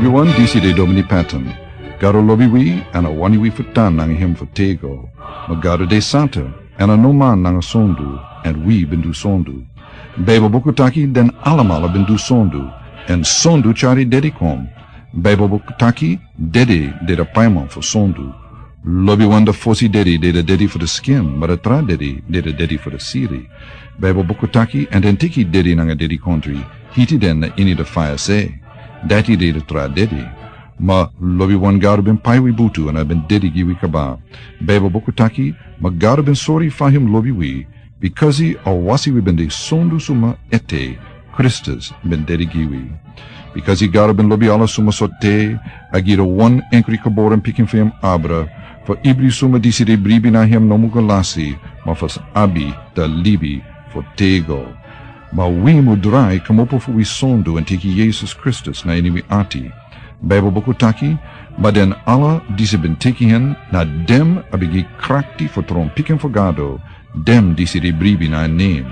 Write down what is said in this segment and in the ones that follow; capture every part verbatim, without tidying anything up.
Yu wan disi de Domini Patton. Gado lobi wi, èn a wani wi fu tan nanga hem fu tego. Ma Gado de santa, èn a no man nanga sondu, èn wi ben du sondu. Baibel buku taki den alamala ben du sondu, èn sondu tyari dedi kon. Baibel buku taki dedi de da paiman fu sondu. Lobi wan da fosi dedi de da dedi fu da skin, ma da tra dedi de da dedi fu da siri. Baibel buku taki, èn den teki dedi nanga dedi kontri, hiti den na ini da faya se. Dati de da tra dedi. Ma lobi wan Gado ben pai wi butu èn a ben dedi gi wi kaba. Baibel buku taki, ma Gado ben sori fa hem lobi wi, bikasi a wasi wi ben de sondu suma ete, Kristus ben dedi gi wi. Bikasi Gado ben lobi ala suma so te, a gi da wan enkri geboren pikin fu hem abra, fu ibri suma disi de bribi na hem no mu go lasi, ma fu abi da libi fu tego. Ma wi mu drai kmopo fu wi sondu èn teki Yesus Kristus na ini wi ati. Baibel buku taki, ma den ala disi ben teki hen, na dem a ben gi krakti fu tron pikin fu Gado, dem disi de bribi na en nen.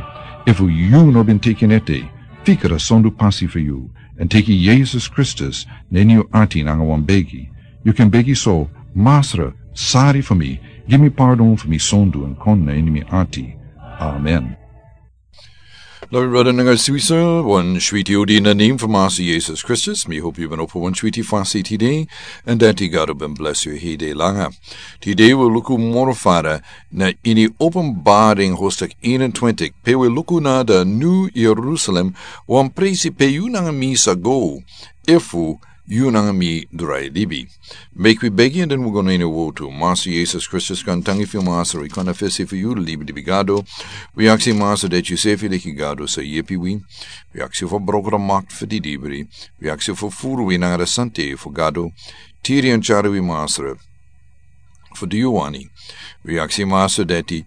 Efu yu no ben teki en ete, fika da sondu pasi fu yu, èn teki Yesus Kristus na ini yu ati nanga wan begi. Yu kan begi so, Masra, sari fu mi, gi mi pardon fu mi sondu èn kon na ini mi ati. Amen. Lobi brada nanga sisa, wan switi odi na nen fu Masra Yesus Kristus. Mi hopi yu ben opo wan switi fasi tide, èn dati Gado ben blesi yu hede langa. Tide wi luku moro fara na ini Openbaring hoofdstuk eenentwintig. Pe wi luku na da New Jerusalem, wan presi pe yu nanga mi sa go, efu yu nanga mi drai libi. Meki wi begi èn den wi go na ini wotu. Masra Yesus Kristus, kan tangi fu yu Masra, wi kan na fesi fu yu, libi, libi Gado. Wi aksi Masra dati yu sefi leki Gado sa yepi wi. Wi aksi fu broko da makti fu di libri. Wi aksi fu furu wi nanga da santa fu Gado. Tiri èn tyari wi Masra. Fu di yu wani. Wi aksi Masra dati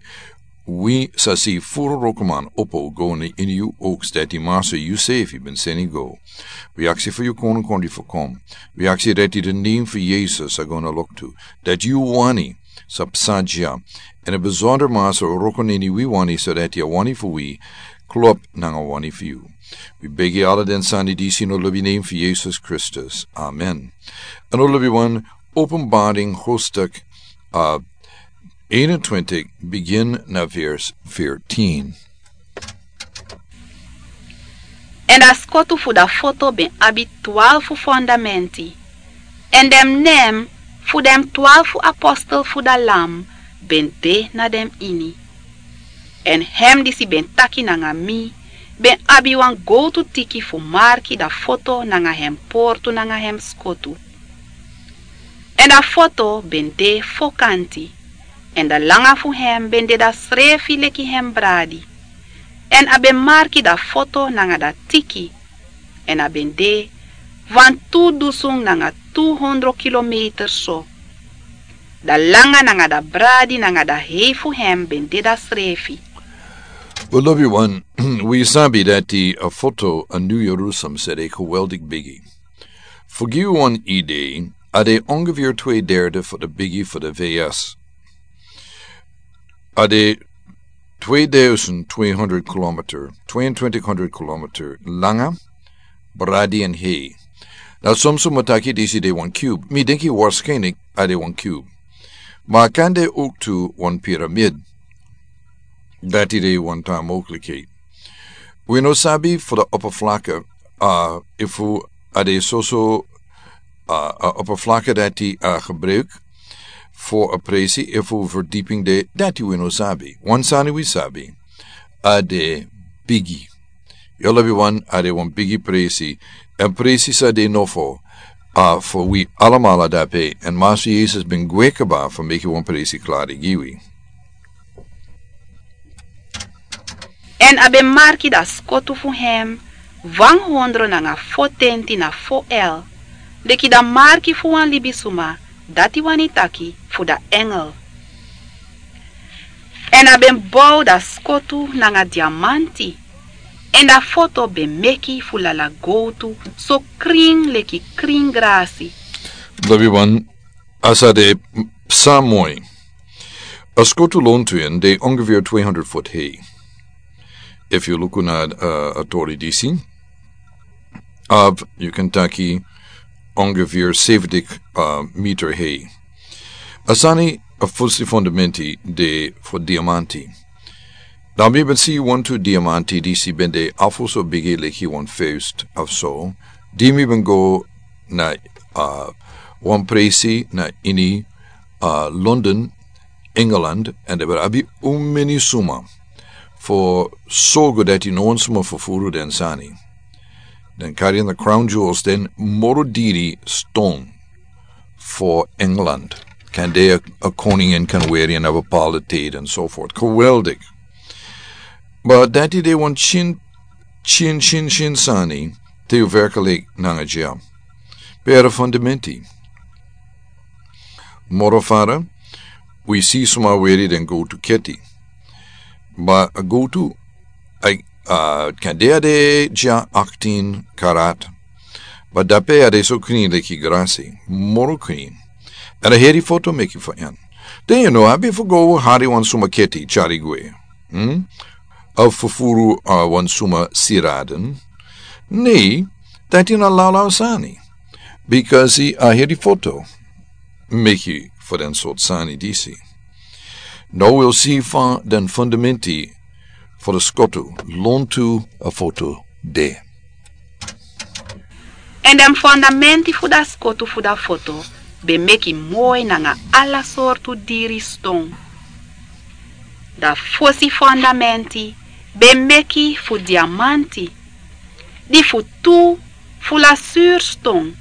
wi sa si furu wrokoman opo go na ini yu oks dati Masra yu sefi ben seni go. Wi aksi fu yu kono kondi fu kon. Wi aksi dati da nen fu Yesus a go na loktu. Dati yu wani sa psa dya. Èn a besonder Masra wroko na ini wi wani so dati a wani fu wi klop nanga wani fu yu. Wi begi ala den sani disi na lobi nen fu Yesus Kristus. Amen. Èn o lobi wan Openbaring hoofdstuk, uh, eenentwintig, begin na vers veertien. Èn da skotu fu da foto ben abi twalfu fondamenti, èn den nen fu den twalfu apostel fu da Lam ben de na den ini. Èn hem disi ben taki nanga mi ben abi wan gowtu tiki fu marki da foto nanga hem portu nanga hem skotu. Èn da foto ben de fo kanti, èn da langa fu hem ben de dasrefi leki hem bradi. Èn a ben marki da foto nanga da tiki, èn a ben de wan tu dusun nanga tu hondro kilometer so. Da langa nanga da bradi nanga da hei fu hem ben de dasrefi. Wi lobi wan, wi sabi dati a foto a New Jerusalem sede geweldig bigi. Fu gi wan idee, a de ongeveer twee derde fu da bigi fu da V S. A de tweeduizend tweehonderd kilometer, tweeëntwintighonderd kilometer langa, bradi èn hei. Na son suma taki disi de wan cube. Mi denki waarschijnlijk a de wan cube. Ma a kan de ook tu wan piramid. Dati de wan tra mogelijkheid. Wi no sabi fu da oppervlakte, a, efu a de soso, a, a oppervlakte dati a gebruik fu a presi, efu verdieping de, dati wi no sabi. Wan sani wi sabi, a de bigi. Yu lobi wan, a de wan bigi presi. Èn presi sa de nofo, a, fu wi alamala dape. Èn Masra Yesus ben gwe kaba fu meki wan presi klari gi wi. Èn a ben marki da skotu fu hem wan hondro nanga fo tenti na fo el, leki da marki fu wan libisuma, dati wani taki fu da engel. Èn a ben bow da skotu nanga diamanti, èn da foto ben meki fu lala gowtu so krin leki krin grasi. Lobi wan, a sa de psa moi. A skotu lontu en de ongeveer tweehonderd voet hei. Efu yu luku na, uh, a tori disi, of yu kan taki ongeveer seventig meter hei. A sani a fusi fundamenti de fu diamanti. Dan mi ben si wantu diamanti disi ben de afu so bigi leki wan feust of so. Di mi ben go na wan presi na ini London, England, èn den ben abi un meni suma fu sorgu dati no wan suma fu furu den sani. Den kari na crown jewels den moro diri ston fu England. Kan de a koning en kan weri en abi a politiki èn so fort geweldik. But dati de wan chin chin chin chin sani te yu werklik nanga dya. Pere fundamenti. Moro fara wi si suma weri den go tu keti. But a go tu a kan de a de dya aktin karat. But dape a de so krin leki grasi moro krin. Èn a heri foto meki fu en. Den yu no abi fu go hari wan suma keti chari gwe. Of fufuru wan suma siraden. Nei, dati na lawlaw sani. Bikasi a heri foto meki fu den sort sani disi. No wil si fa den fundamenti fu de skotu lontu a foto de. Èn den fundamenti fu da skotu fu da foto ben meki moi nanga ala sortu diri ston. Da fosi fundamenti ben meki fu diamanti, di fu tu fu lasurston,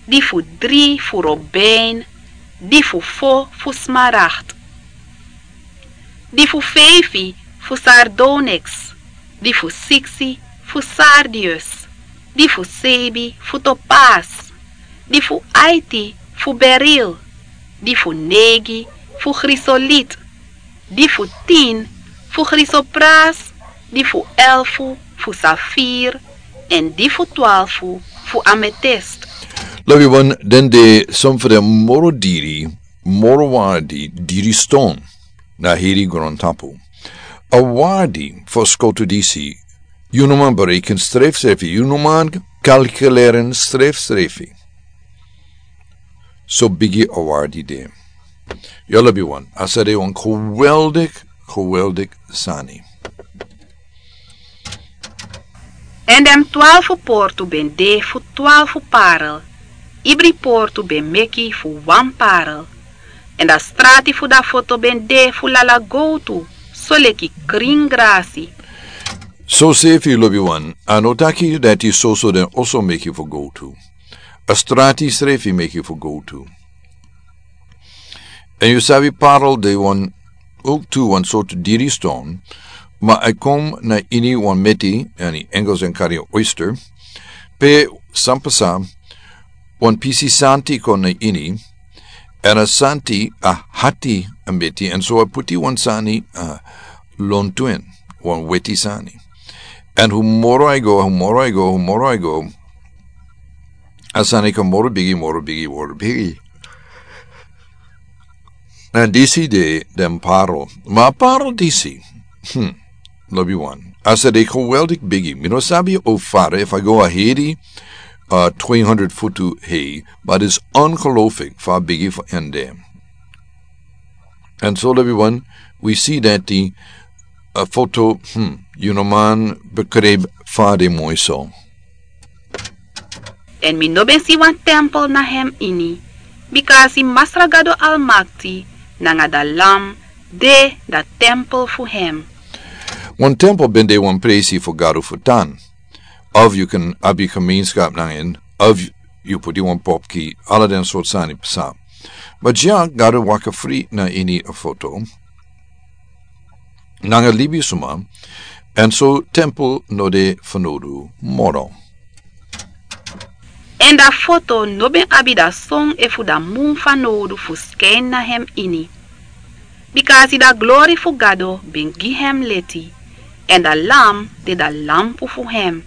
di fu dri fu robin, di fu fo fu smaragt, di fu feifi fu sardonyx, di fu siksi fu sardius, di fu seibi fu topas, di fu aiti fu beril, di fu neigi fu grisolit, di fu tin fu grisopras, di fu elfu fu safir, èn di fu twalfu fu ametest. Lobi wan den de son fu den moro diri moro wardi diri ston na heri grontapu. A wardi fu skotu disi yu no man bereken strefsrefi, yu no man kalkuleren strefsrefi. So bigi a wardi de. Yu lobi wan a sa de wan geweldik geweldik sani. Èn den twalfu portu ben de fu twalfu parel. Ibri portu ben meki fu wan parel. Èn da strati fu da foto ben de fu lala gowtu soleki krin grasi. Sosefi lobi wan a no taki dati soso den oso meki fu gowtu. A strati srefi meki fu gowtu. Èn yu sabi parel de wan owktu wan sortu diri ston. Ma a kon na ini wan meti èn i engels èn kari a oyster. Pe san pasa wan pisi santi kon na ini. Èn a santi a hati a meti èn so a puti wan sani a lontu en wan weti sani. Èn hu moro a i go hu moro a i go hu moro a i go. A sani kon moro bigi moro bigi moro bigi. Èn disi de den paro ma a paro disi. Hmm. Lobi wan a sa de geweldik bigi mi no sabi o fara efu a go a hedi. Twe hundred futu hei but is ongelooflik fu a bigi fu en de. Èn so lobi wan wi si dati a foto. Hmm. Yu no man bekreb fa de moi so. Èn mi no ben si wan tempel na hem ini. Bika a si masra gado almakti nanga da lam de da tempel fu hem. Wan tempel ben de wan presi fu gado fu tan. Of yu ken abi gemeenskap nanga en of yu puti wan popki ala den sort sani psa. Ma dya gado waka fri na ini a foto nanga libisuma. Èn so tempel no de fanodu moro. Èn da foto no ben abi da son efu da mun fanodu fu skin na hem ini. Bika a si da glori fu gado ben gi hem leti. Èn da lam de da lampu fu hem.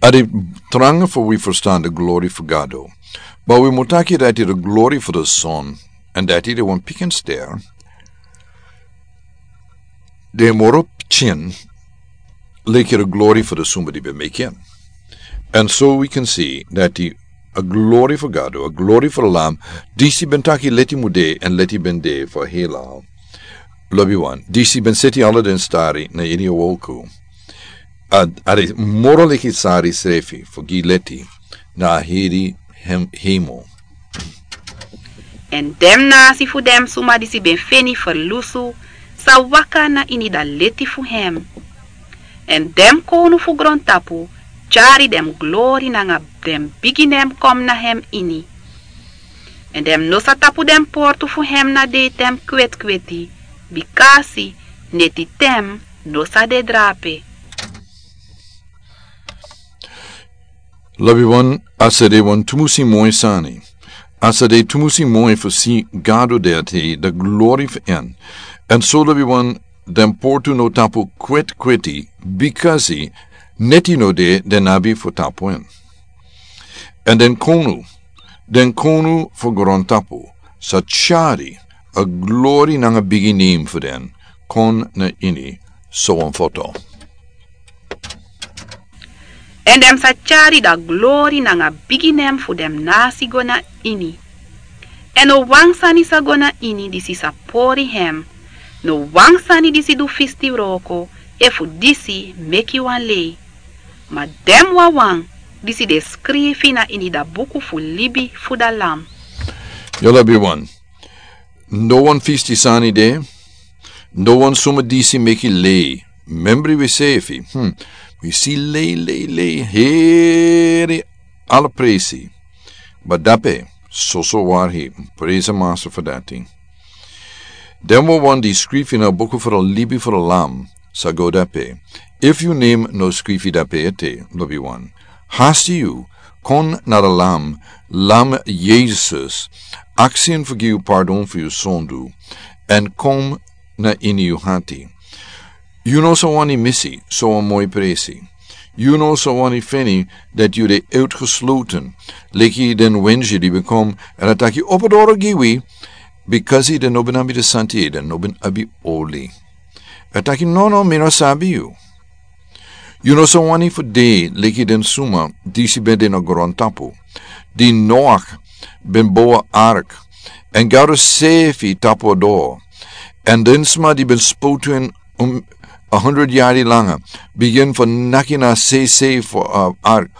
A de tranga fu wi ferstan da glori fu gado. Ma wi mutaki dati da glori fu da son èn dati de wan pikin ster. De moro pikin leki da glori fu da sumba di ben meki en. Èn so wi ken si dati a glori fu Gado, a glori fu Lam, disi ben taki leti mude, èn leti ben de fu hela. Lobi wan, disi ben seti ala den stari na ini a wolku. A, a de moro leki sari srefi fu gi leti na a heri hem, hemo. Èn den nasi fu den suma disi ben feni ferlusu sa waka na ini da leti fu hem. Èn den kownu fu grontapu tyari den glori nanga den bigi nen kon na hem ini. Èn den no sa tapu den portu fu hem na deiten kwetkweti, bikasi netiten no sa de drape. Lobi wan, a sa de wan tumusi moi sani. A sa de tumusi moi fu si Gado de ati da glori fu en. Èn so lobi wan, den portu no tapu kwetkweti, bikasi neti no de den abi fu tapu en. Èn den kownu, den kownu fu grontapu sa tyari a glori nanga bigi nen fu den kon na ini so wan foto. Èn den sa tyari da glori nanga bigi nen fu den nasi go na ini. Èn no wan sani sa go na ini disi sa pori hem, no wan sani disi du fisti wroko, efu disi meki wan lei. Ma den wawan disi de skrifi na ini da buku fu libi fu da Lam. Yu lobi wan. No wan fisti sani de, no wan suma disi meki lei. Membri wi sefi, hmm, wi si lei, lei, lei, heri ala presi. Ma dape, soso warhi, presi Masra fu dati. Den wawan di skrifi na buku fu da libi fu da Lam, sa go dape. Efu yu nen no skrifi dape ete, lobi wan, hasti yu, kon na da Lam, Lam Yesus, aksi en fu gi yu pardon fu yu sondu, èn kon na ini yu hati. Yu no sa wani misi so wan moi presi. Yu no sa wani feni dati yu de uitgesloten, leki den wensi di ben kon, èn a taki opo doro gi wi, bikasi den no ben abi de santi, den no ben abi oli. A taki, no, no, mi no sabi yu. Yu no sa wani fu de leki den suma disi ben de na grontapu, di Noach ben bow a ark, èn Gado sefi tapu a doro, èn den suma di ben spotu en, um, a hundred yari langa, bigin fu naki na seisei fu, uh, ark.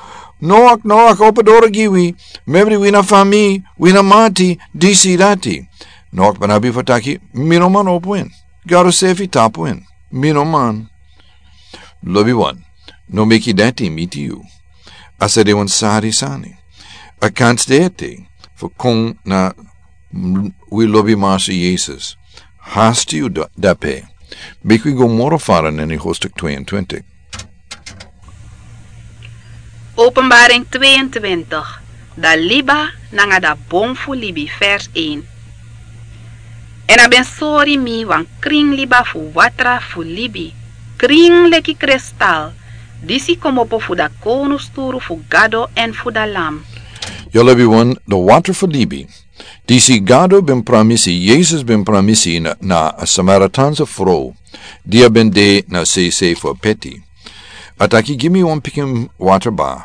Noach, Noach, opo doro gi wi, membri wi na fami, wi na mati, disi dati. Noach ben abi fu taki, mi no man opo en. Gado sefi tapu en. Mi no man. Lobi wan, no meki dati miti yu. A sa de wan sari sani. A kansi de ete fu kon na, mm, wi lobi Masra Yesus. Hasti yu da-, dape. Meki wi go moro fara na ini hoofdstuk tweeëntwintig. Openbaring tweeëntwintig, da liba nanga da bon fu libi, vers één. Èn a ben sori mi wan krin liba fu watra fu libi, krin leki kristal, disi komopo fu da kownusturu fu Gado èn fu da Lam. Yu lobi wan, da watra fu libi. Disi Gado ben pramisi, Yesus ben pramisi na, na a Samaritanse frow, di a ben de na seisei fu a peti. A taki, gi mi wan pikin watra ba.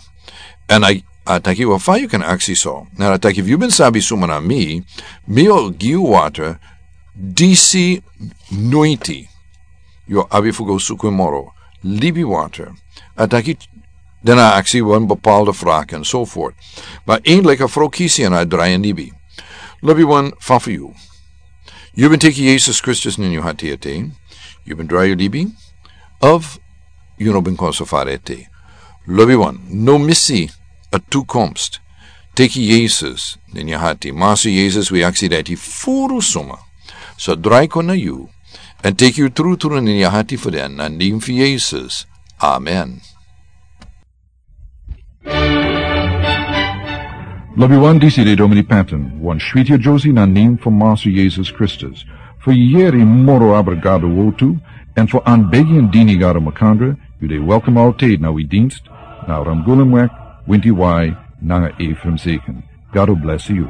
Èn a, a taki, wel, fa yu kan aksi so. Èn a taki, efu yu ben sabi suma na mi, mi o gi yu watra disi noiti. Yu o abi fu go suku en moro. Libi watra. A taki, dan a aksi wan bepaalde vraag enzovoort. Ma eindelijk a frow kisi èn a drai en libi. Lobi wan, fa fu yu. Yu ben teki Yesus Kristus na ini yu hati ete. Yu ben drai yu libi. Of yu no ben kon so fara ete. Lobi wan, no misi a toekomst. Teki Yesus na ini yu hati. Masra Yesus, wi aksi dati furu suma. So drai kon na yu. Èn teki yu trutru na ini yu hati fu den, na nen fu Yesus. Amen. Lobi wan, disi de Domini Patton, wan switi a Josie na nen fu Masra Yesus Kristus. Fu yere moro abra Gado wortu, èn fu anbegi èn dini Gado makandra, yu de welkom altijd na wi dienst, na Ramgulumweg, winti wai, nanga Ephraim Zeken. Gado bless yu.